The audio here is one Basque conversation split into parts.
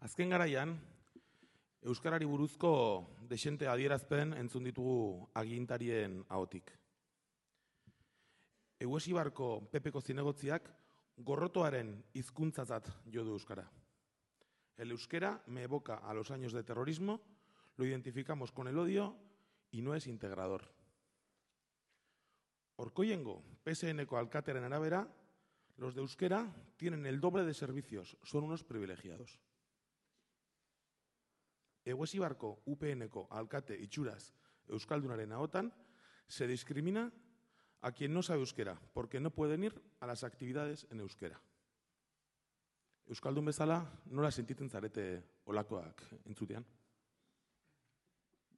Azken garaian, euskarari buruzko dexente adierazpen entzun ditugu agintarien ahotik. Eguesibarko Pepeko zinegotziak gorrotoaren hizkuntzatzat jo du euskara. El euskera me evoca a los años de terrorismo, lo identificamos con el odio y no es integrador. Orkoiengo, PSN-ko alkatearen arabera, los de euskera tienen el doble de servicios, son unos privilegiados. Eguesibarko UPN-ko alkate itxuraz euskaldunaren ahotan se discrimina a quien no sabe euskera, porque no pueden ir a las actividades en euskera. Euskaldun bezala, nola sentitzen zarete olakoak entzutean?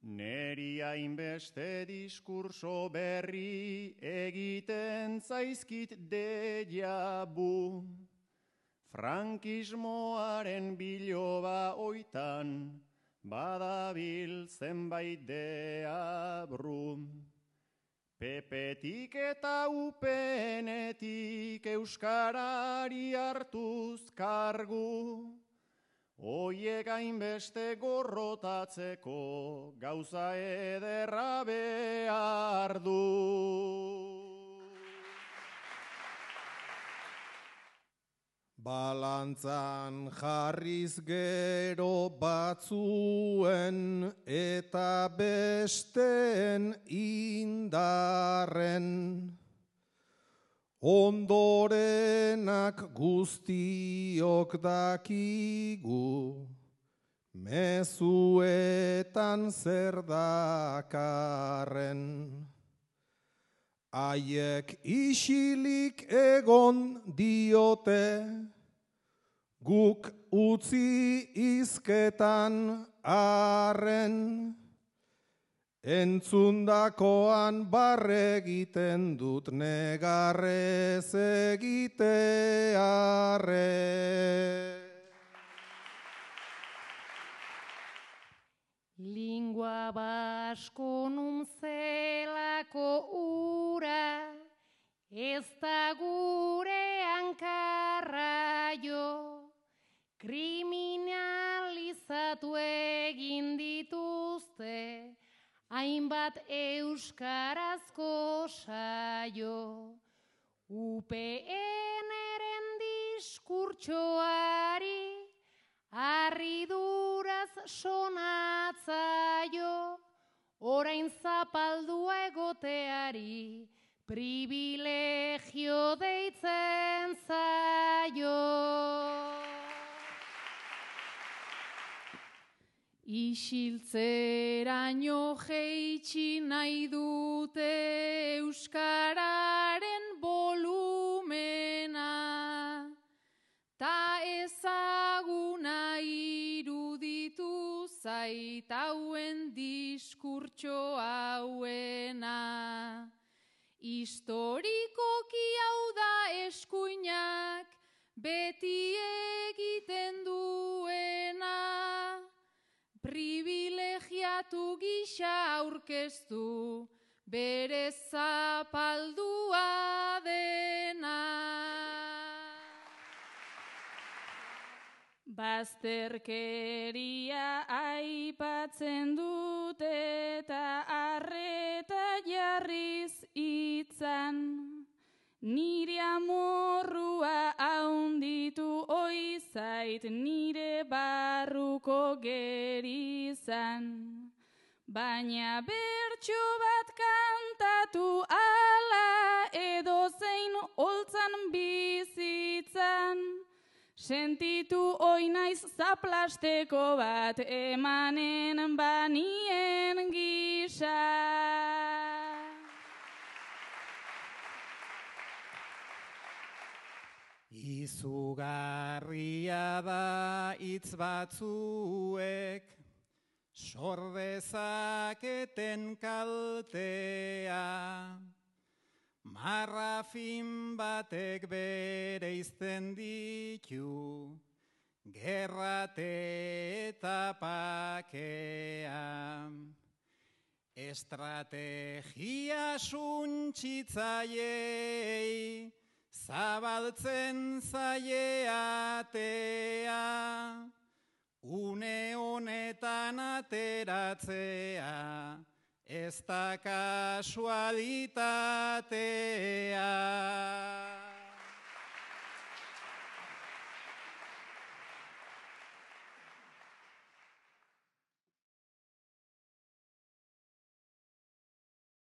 Neri hainbeste diskurso berri egiten zaizkit déjà vu. Frankismoaren biloba oitan badabil zenbait deabru. Pepetik eta UPN-etik euskarari hartuz kargu. Oiek hainbeste gorrotatzeko gauza ederra behar du. Balantzan jarriz gero batzuen eta besteen indarren. Ondorenak guztiok dakigu, mezuetan zer dakarren. Haiek isilik egon diote, guk utzi hizketan arren. Entzundakoan barre egiten dut negarrez egitearre. Lingua basko zelako ura, ez da gure hankarra jo, kriminalizatu egin dituzte, hainbat euskarazko saio. UPN-eren diskurtsoari harriduraz sonatzaio, orain zapaldua egoteari privilegio deitzen zaio. Isiltzeraino jeitsi nahi dute euskararen volumena, ta ezaguna iruditu zait hauen diskurtso hauena. Historikoki hau da eskuinak beti egiten duena, privilegiatu gisa aurkeztu bere zapaldua dena. Bazterkeria aipatzen dute eta arreta jarriz hitzan, nire amorrua haunditu oizait nire barruko gerizan. Baina bertso bat kantatu ala edozein holtzan bizitzan, sentitu oinaiz zaplasteko bat emanen banien gisa. Izugarria da hitz batzuek, sordezaketen kaltea, marrafin batek bereizten ditu, gerrate eta pakea. Estrategia suntsitzaiei, zabaltzen zaie atea, geratzea, ez da kasualitatea.